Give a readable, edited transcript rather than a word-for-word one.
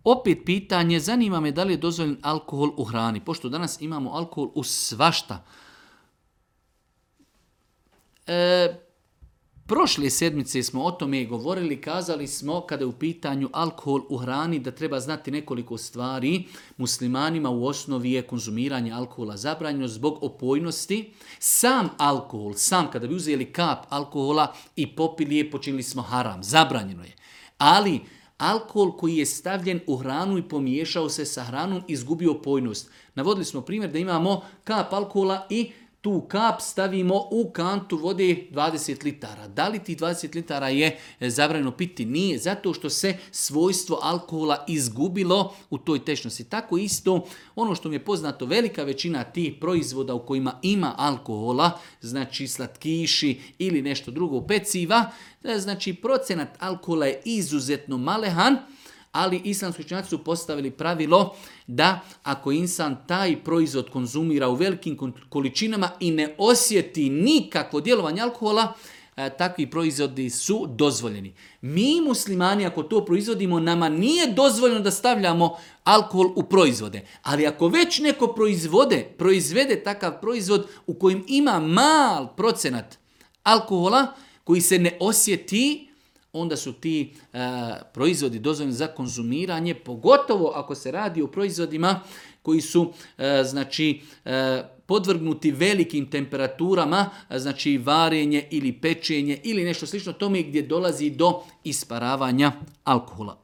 Opet pitanje, zanima me da li je dozvoljen alkohol u hrani, pošto danas imamo alkohol u svašta. Prošle sedmice smo o tome govorili, kazali smo kada je u pitanju alkohol u hrani da treba znati nekoliko stvari. Muslimanima u osnovi je konzumiranje alkohola zabranjeno zbog opojnosti. Sam alkohol, kada bi uzeli kap alkohola i popili je, počinili smo haram, zabranjeno je. Ali alkohol koji je stavljen u hranu i pomiješao se sa hranom izgubio opojnost. Navodili smo primjer da imamo kap alkohola i tu kap stavimo u kantu vode 20 litara. Da li tih 20 litara je zabranjeno piti? Nije, zato što se svojstvo alkohola izgubilo u toj tečnosti. Tako isto, ono što mi je poznato, velika većina tih proizvoda u kojima ima alkohola, znači slatkiši ili nešto drugo, peciva, znači procenat alkohola je izuzetno malehan, ali islamski učenjaci su postavili pravilo da ako insan taj proizvod konzumira u velikim količinama i ne osjeti nikakvo djelovanje alkohola, takvi proizvodi su dozvoljeni. Mi muslimani ako to proizvodimo, nama nije dozvoljeno da stavljamo alkohol u proizvode. Ali ako već neko proizvede takav proizvod u kojem ima mal procenat alkohola koji se ne osjeti, onda su ti proizvodi dozvoljeni za konzumiranje, pogotovo ako se radi o proizvodima koji su podvrgnuti velikim temperaturama, znači varenje ili pečenje ili nešto slično tome gdje dolazi do isparavanja alkohola.